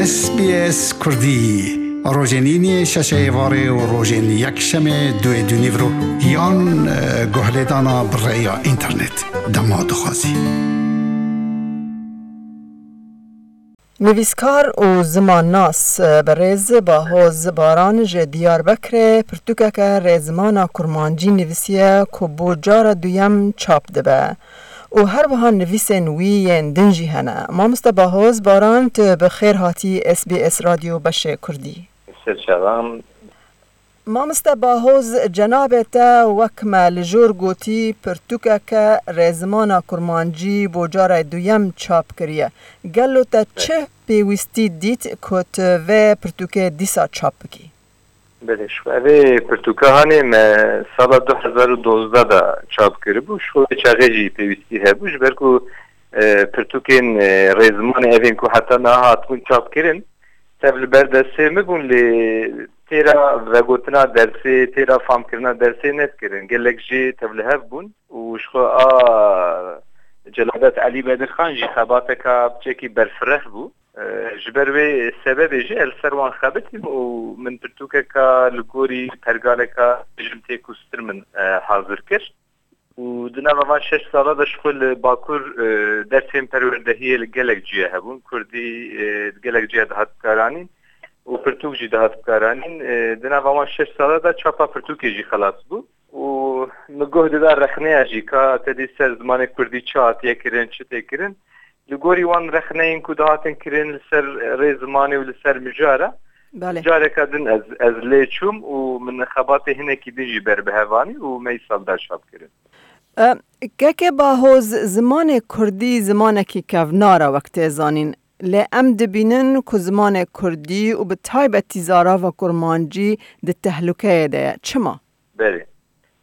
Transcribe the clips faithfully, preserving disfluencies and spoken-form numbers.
S B S Kurdî, rojên îniyê şeşê êvarê û rojên yekşemê duê dûnîvro yan, e, guhlêdana bi rêya înternet. Dema dixwazî. Nivîskar û zimannas, e, berêz Bahoz Baran ji Diyarbekirê pirtûkeke rêzimana kurmancî nivîsiye ku bo cara duyem çap dibe. Û her wiha nivîsên wî yên din jî hene. Mamoste Bahoz Baran, tu bi xêr hatî S B S Radyo Beşê Kurdî. Serçavan. Mamoste Bahoz, cenabê te wek me li jor gotî, pirtûkeke rêzimana kurmancî bo cara duyem çap kiriye. Gelo te çi pêwîstî dît ku tu vê pirtûkê dîsa çap bikî? Belê, ji xwe vê pirtûka hanê me sala du hezar û dozdeh de çap kiribû. Ji xwe vê çaxê jî pêwîstî hebû, ji ber ku, e, pirtûkên, e, rêzimanê evên ku heta niha hatibûn çap kirin, tev li ber destê min bûn, lê têra vegotina dersê, têra famkirina dersê nedikirin. Gelek jê tevlihev bûn û ji xwe a Celadet Elî Bedirxan jî xebateka piçekî berfireh bû. E, ji ber wê sebebê jî ez li ser wan xebitîm û min pirtûkeka li gorî pergaleka jim tê ku stir min, e, hazir kir. Û di nava van şeş sala de ji xwe li Bakur, e, dersên perwerdehiyê li gelek ciyê hebûn. Kurdî, e, di gelek ciyê dihat bikaranîn û pirtûk jî dihat bikaranîn. E, di nava van şeş sala de çapa pirtûkê jî xelas bû. Û min guh dida rexneya jî ka te dî ser zimanê kurdî çi hatiye kirin, çi tê kirin. Li gorî wan rexneyên ku dihatin kirin li ser rê zimanê û li ser mijara, Belê. Careka din ez, ez lê çûm û min xebatê hinekî din jî ber bi hev anî û me îsal da çap kirin. E, keke Bahoz, zimanê kurdî zimanekî kevnar e wek tê zanîn. Lê em dibînin ku zimanê kurdî û bi taybetî zarava kurmancî di tehlukeyê de ye. Çima? Belê.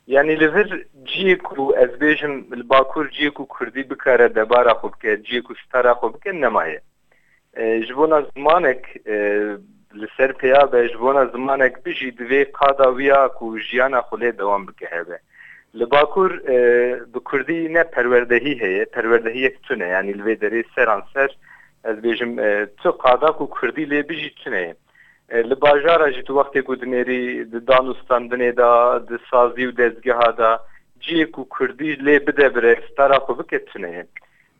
Yanî li vir ciyê ku ez bêjim li Bakur ciyê ku kurdî bikare debara xwe bike, ciyê ku stara xwe bike nemaye. E, ji bona zimanek, e, li ser pêya be, ji bona zimanek bijî divê qada wî ya ku jiyana xwe lê dewam bike hebe. Li Bakur, e, bi kurdî ne perwerdehî heye, perwerdehiyek tune, yanî li vê derê seranser ez bêjim, e, tu qada ku kurdî lê bijî tune ye. E, li bajara jî tu wextê ku dinêrî di dan û standinê de, di sazî û dezgeha de, ciyê ku kurdî lê bide bire, stara xwe bike tune ye.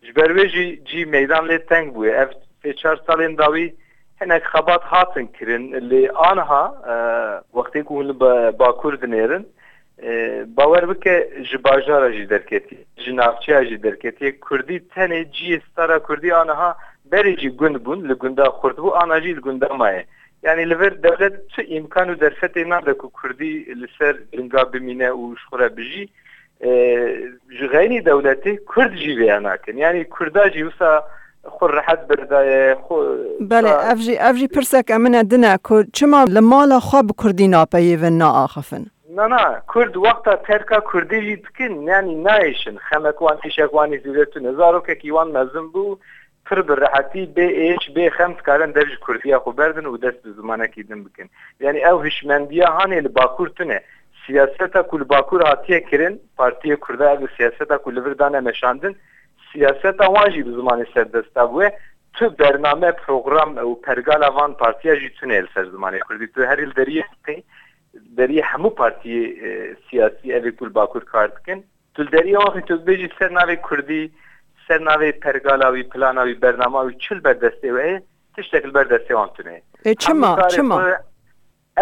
Ji ber wê jî cî meydan lê teng bûye. Ev sê çar salên dawî hinek xebat hatin kirin. Lê aniha, e, wextê ku hûn li Ba-, Bakur dinêrin, e, bawer bike ji bajara jî derketiye, ji navçeya jî derketiye. Kurdî tenê ciyê stara kurdî aniha berê jî gund bûn, li gunda xurt bû, ana jî li gunda maye. Yanî li vir dewlet tu îmkan û derfetê nade ku kurdî li ser linga bimîne û ji xwe re bijî. E, ji xeynî dewletê kurd jî vêya nakin. Yanî kurda jî wisa xwe rehet berdaye, xwe Belê, wisa ev jî, ev jî pirseke min e din e ku çima li mala xwe bi kurdî napeyivin, naaxifin? Na, na, kurd wexta terka kurdî jî dikin, yanî nayêşin. Xemek wan, îşek wan ê zêde tune. Zarokekî wan mezin bû, pir bi rehetî, bê êş, bê xem dikarin dev ji kurdiya xwe berdin û dest bi zimanekî din bikin. Yanî ew hişmendiya hanê li Bakur tune. Siyaseta ku li Bakur hatiye kirin, Partiyê Kurda ev siyaseta ku li vir dane meşandin, siyaseta wan jî bi zimanê serdesta bûye. Tu bername, program û pergala van partiya jî tune li ser zimanê kurdî. Tu herî li deriyê, deriyê hemû partiyê, e, siyasî evê ku li Bakur kar dikin. Tu li deriyê wan xî tu bibêjî ser navê kurdî, ser navê pergala wî, plana wî, bernama wî, çi li ber destê wê heye, tiştek li ber destê wan tune. E, çima? Hemû karê Çima? Xwe,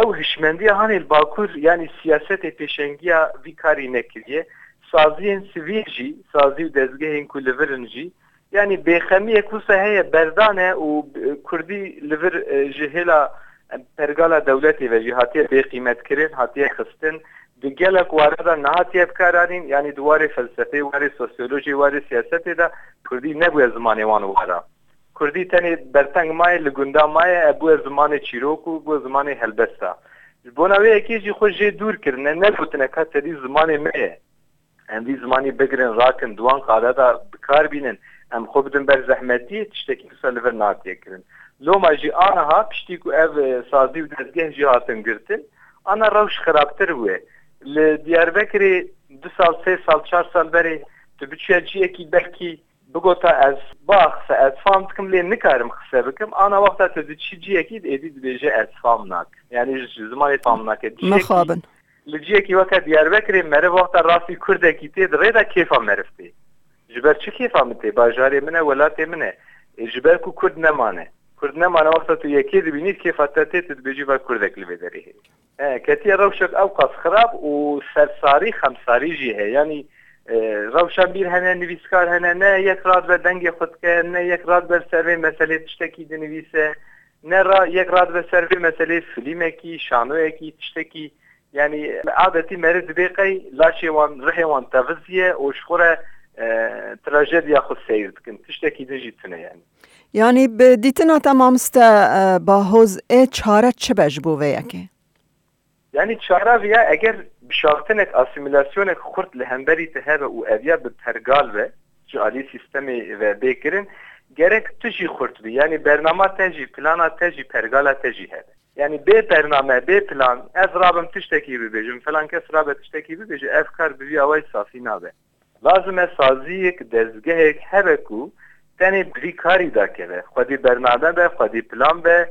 ew hişmendiya hanê li Bakur, yanî siyasetê pêşengiya vî karî nekiriye. Saziyên sivîl jî, sazî û dezgehên ku li vir in jî, yanî bêxemiyek wisa heye, berdane û, e, kurdî li vir, e, ji hêla, e, pergala dewletê ve jî hatiye bêqîmetkirin, hatiye xistin. Di gelek ware de nehatiye bikaranîn, yanî di warê felsefeyê, warê sosyolojiyê, warê siyasetê de kurdî nebûye zimanê wan wara. Kurdî tenê berteng maye, li gunda maye, e, bûye zimanê çîrok û bûye zimanê helbesta. Ji bona wê yekê jî xwe jê dûr kirine, negotine ka tedî zimanê me ye. Em vî zimanî bigirin, rakin, di wan qada de bi kar bînin, em xwe bidin ber zehmetiyê, tiştekî wisa li vir natiye kirin. Loma jî aniha, piştî ku ev, e, sazî û dezgeh jî hatin girtin, ana rewş xirabtir bûye. Li Diyarbekirê du sal, sê sal, çar sal berê tu biçiya ciyekî belkî bigota ez baxse, ez fam dikim lê nikarim qise bikim, ana wexta tu diçî ciyekî êdî dibêje ez fam nakim. Yani ji zimanê fam nake. Ciyekî, Mixabin. Li ciyekî weke Diyarbekirê meriv wexta rastî kurdekî tê di rê de kêfa meriv tê. Ji ber çi kêfa min tê? Bajarê min e, welatê min e. Ê, ji ber ku kurd nemane. Kurd nemane wexta tu yekê dibînî kêfa te tê, tu dibêjî va kurdek li vê derê heye. E, ketiye rewşek ew qas xirab û sersarî, xemsarî jî heye. Yanî, e, rewşenbîr hene, nivîskar hene, ne yek radibe dengê xwe dike, ne yek radibe li ser vê meselê tiştekî dinivîse, ne ra-, yek radibe ser vê meselê filmekî, şanoyekî, tiştekî. Yanî adetî meriv dibê qey laşê wan, rihê wan teviziye û ji xwe re, e, trajediya xwe seyr dikin. Tiştekî din jî tune yanî. Yanî bi dîtina te mamoste, e, Bahoz, ê çare çi be ji bo vê yekê? Yanî çara viya eger bişaftinek, asîmîlasyonek xurt li hemberî te hebe û ev ya bi pergal be, ji alî sîstemê ve bê kirin, gerek tu jî xurt bî. Yanî bernama te jî, plana te jî, pergala te jî hebe. Yanî bê bername, bê plan, ez rabim tiştekî bibêjim, filan kes rabe tiştekî bibêje, ev kar bi vî awayî safî nabe. Lazim e saziyek, dezgehek hebe ku tenê bi vî karî dakeve. Xwedî bername be, xwedî plan be,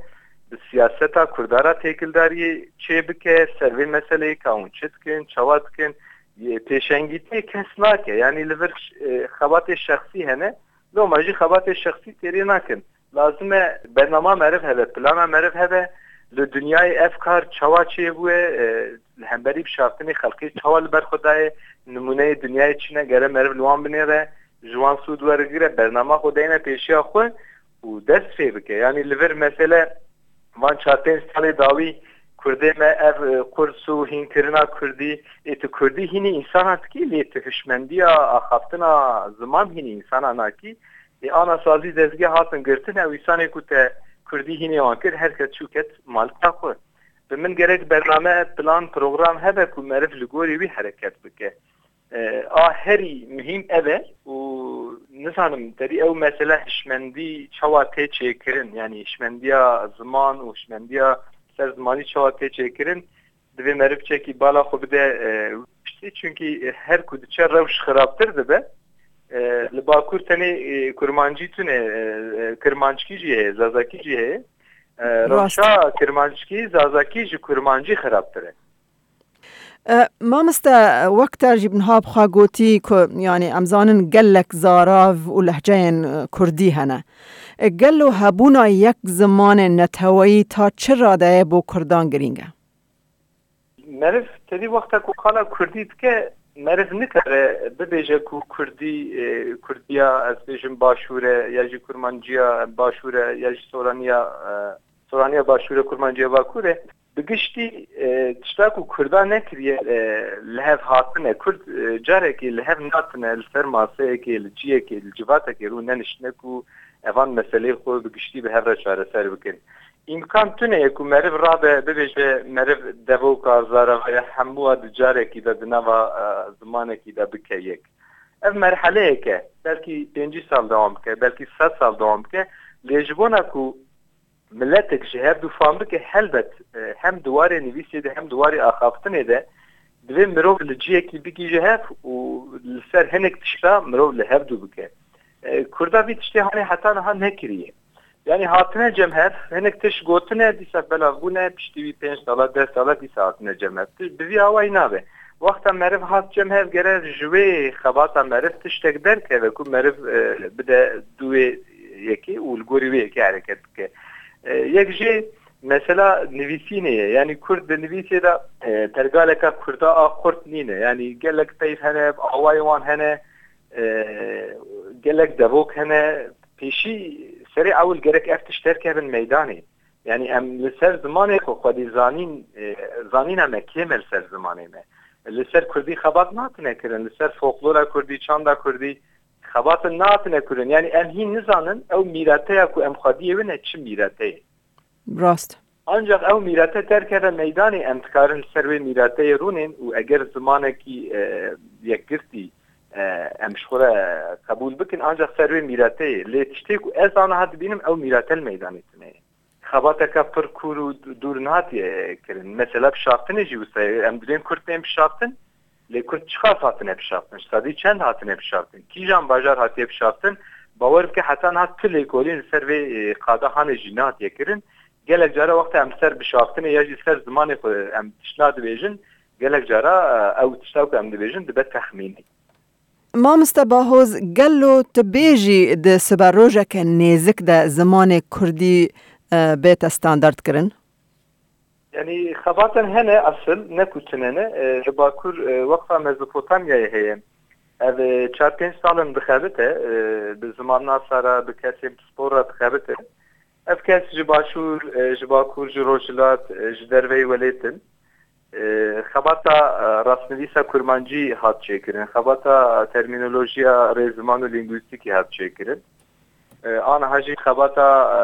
bi siyaseta Kurda re têkildariyê çê bike, ser vê meseleyê ka hûn çi dikin, çawa dikin, yê pêşengîtiyê kes nake. Yanî li vir, e, xebatê şexsî hene, loma jî xebatê şexsî têrê nakin. Lazim e bernama meriv hebe, plana meriv hebe, li dinyayê ev kar çawa çêbûye, e, li hemberî bişaftinê xelkê çawa li ber xwe daye, nimûneyê dinyayê çi ne, gere meriv li wan binêre, ji wan sûd werigire, bernama xwe deyne pêşiya xwe û dest pê bike. Yanî li vir mesele van çar pênc salê dawî Kurdê me ev, e, qurs û hînkirina Kurdî, ê tu Kurdî hînî însana dikî, lê tu hişmendiya axaftina ziman hînî însana nakî. Ê ana sazî dezgeh hatin girtin, ew îsanê ku te Kurdî hînê wan kir, her kes çû ket malika xwe. Bi min gerek bername, plan, program hebe ku meriv li gorî wî hereket bike. E, a herî muhîm ev e û nizanim, derî ew mesele hişmendî çawa tê çêkirin, yanî hişmendiya ziman û hişmendiya ser zimanî çawa tê çêkirin, divê meriv çekî bala xwe bide, e, piştî, çunkî her ku diçe rewş xirabtir dibe. E, li Bakur tenê, e, kurmancî tune, e, e, kirmanckî jî heye, zazakî jî heye. E, Rast. Rewşa kirmanckî, zazakî ji kurmancî xirabtir e. E, mamoste, wek te jî niha bi xwe gotî ku, yanî, em zanin gelek zarav û lehceyên, e, kurdî hene. E, gelo hebûna yek zimanê neteweyî ta çi radeyê bo kurdan girîng e? Meriv tevî wexta ku qala kurdî dike, meriv nikare bibêje ku kurdî, e, kurdiya, ez bêjim, başûr e, ya jî kurmanciya başûr e, ya jî soraniya, e, soraniya başûr e, kurmanciya bakur e. Bi giştî, e, tişta ku kurda nekiriye, e, li hev hatine. Kurd, e, carekê li hev natine, li ser maseyekê, li ciyekê, li civatekê rû neniştine ku evan meseleyê xwe bi giştî bi hev re çareser bikin. Îmkan tune ye ku meriv rabe, bibêje meriv devoka, zarava ya hemû a di carekî de, di nava, e, zimanekî de bike yek. Ev merheleyek e. Belkî pêncî sal dewam bike, belkî sed sal dewam bike. Lê ji bona ku miletek ji hev du fam bike, helbet, e, hem di warê nivîsê de hem di warê axaftinê de divê mirov li ciyekî bigihîje hev û li ser hinek tişta mirov li hev du bike. E, Kurda vî tiştê hanê heta niha nekiriye. Yanî hatine cem hev, hinek tişt gotine, dîsa belav bûne, piştî wî pênc sala, deh sala dîsa hatine cem hev. Ti-, bi vî awayî nabe. Wexta meriv hat cem hev, gere ji wê xebata meriv tiştek derkeve ku meriv, e, bide du wê yekê û li gorî wê yekê hereket bike. E, yek jê mesela nivîsînê ye. Yanî kurd di nivîsê de, e, pergaleka kurda a xurt nîne. Yanî gelek peyv hene, awayê wan hene, e, gelek devok hene. Pêşî serê ewil gerek ev tişt derkevin meydanê. Yanî em li ser zimanê xwe xwedî zanîn, e, zanîna me kêm e li ser zimanê me. Li ser kurdî xebat natine kirin, li ser folklora kurdî, çanda kurdî xebatin natine kirin. Yanî em hîn nizanin ew mîreteya ku em xwediyê win e çi mîreteyê. Rast. Ancak ew mîrete derkeve meydanê, em dikarin li ser wê mîreteyê rûnên û eger zimanekî, e, yekgirtî, e, em ji xwe re qebûl bikin, ancak ser wê mîreteyê. Lê tiştê ku ez aniha dibînim ew mîrete li meydanê tune ye. Xebateke pir kûr û dûr nehatiye kirin. Mesela bişaftinê jî wisa ye. Em dibên kurd tên bişaftin, lê kurd çiqas hatine bişaftin? Ji sedî çend hatine bişaftin? Kîjan bajar hatiye bişaftin? Bawer bike heta niha tu lêkolîn li ser vê, e, qada hanê jî nehatiye kirin. Gelek cara wexta em ser bişaftinê ya jî ser zimanê xwe em tişt nadibêjin, gelek cara, e, ew tişta ku em dibêjin dibe texmînî. Mamoste Bahoz, gelo tu bêjî di siberojeke nêzik de zimanê kurdî, e, bête standardkirin? Yanî xebatên hene esil, ne ku tune ne. E, li Bakur, e, Weqfa Mezopotamyayê heye. Ev, e, çar pênc sal in dixebite, e, bi zimannasa re, bi kesên pispor re dixebite. Ev kes ji Başûr, e, ji Bakur, ji Rojhilat, e, ji derveyî welêt in. E, xebata, e, rastnivîsa kurmancî hat çêkirin. Xebata termînolojiya rêziman û lîngwîstîkî hat çêkirin. E, aniha jî xebata, e,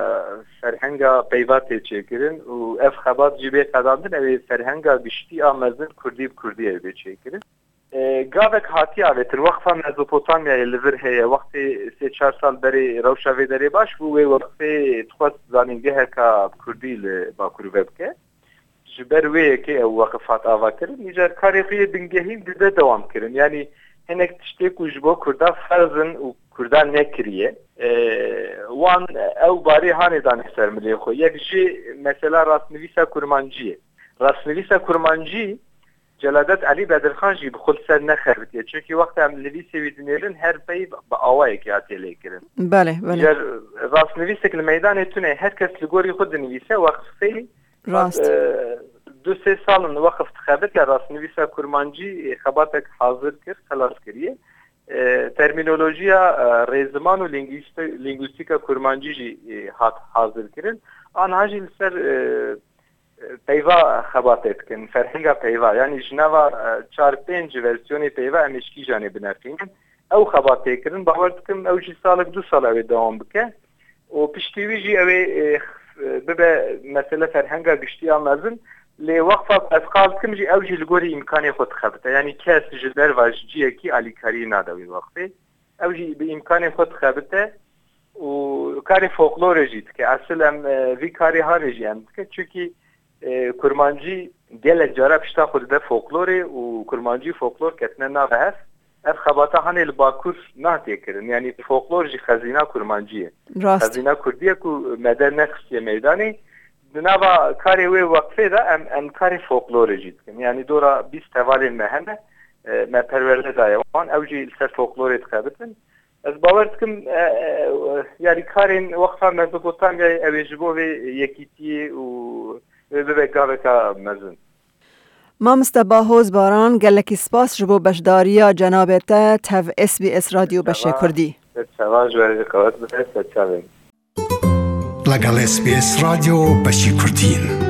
ferhenga peyva tê çêkirin û ev xebat jî bê qedandin, ew ê ferhenga giştî a mezin kurdî bi kurdî ew bê çêkirin. E, gavek hatiye avêtin, Weqfa Mezopotamyayê li vir heye, wextê sê çar sal berê rewşa vê derê baş bû, wê wextê dixwest zanîngeheka bi kurdî li Bakur vebike. Ji ber wê yekê ew weqif hat avakirin. Îcar karê xwe yê bingehîn dide dewam kirin. Yanî hinek tiştê ku ji bo Kurda ferz in û Kurda nekiriye, e, wan ew barê hanê danê ser milê xwe. Yek jî mesela rastnivîsa kurmancî ye. Rastnivîsa kurmancî Celadet Elî Bedirxan jî bi xwe li ser nexebitiye. Çunkî wexta em nivîsê wî dinêrin her pey bi awayekê hatiye lêkirin. Belê, belê. Îcar rastnivîsek li meydanê tune, her kes li gorî xwe dinivîse, weqfê Rast. E, du sê sal in weqf dixebite, rastnivîsa kurmancî, e, xebatek hazir kir, xelas kiriye. E, termînolojiya, e, rêziman û lîngwîsti-, lîngwîstîka kurmancî jî, e, hat hazir kirin. Aniha jî li ser, e, e, peyva xebatê dikin, ferhenga peyva. Yanî ji nava, e, çar pênc versiyonê peyva em ê ji kîjanê bineqînin. Ew xebat tê kirin, bawer dikim ew jî salek du sal ew ê dewam bike. Û piştî wî jî ew ê, e, bibe mesele ferhenga giştî ya mezin. Lê weqfa ku ez qal dikim jî ew jî li gorî îmkanê xwe dixebite. Yanî kes ji derva ji ciyekî alîkariyê nade wê weqfê. Ew jî bi îmkanê xwe dixebite û karê folklorê jî dike. Esil em, e, vî karê hanê jî em dike. Çunkî, e, kurmancî gelek cara pişta xwe dide folklorê û kurmancî û folklor ketine nave hev. Ev xebata hanê li Bakur nehatiye kirin. Yanî folklor jî xezîna kurmancî ye. Rast. Xezîna kurdî ye ku me dernexistiye meydanê. Di nava karê wê weqfê de em, em karê folklorê jî dikin. Yanî dora bîst hevalên me hene, e, me perwerde daye wan. Ew jî li ser folklorê dixebitin. Ez bawer dikim, e, e, yanî karên Weqfa Mezopotamyayê ew ê ji bo vê yekîtiyê û wê bibe gaveka mezin. Mamoste Bahoz Baran, gelekî spas ji bo beşdariya cenabê te tev S B S Radyo Beşê Kurdî. Serçava ji we re qewet be, serçavên. لەگەڵ S B S رادیۆ بەشی کوردین.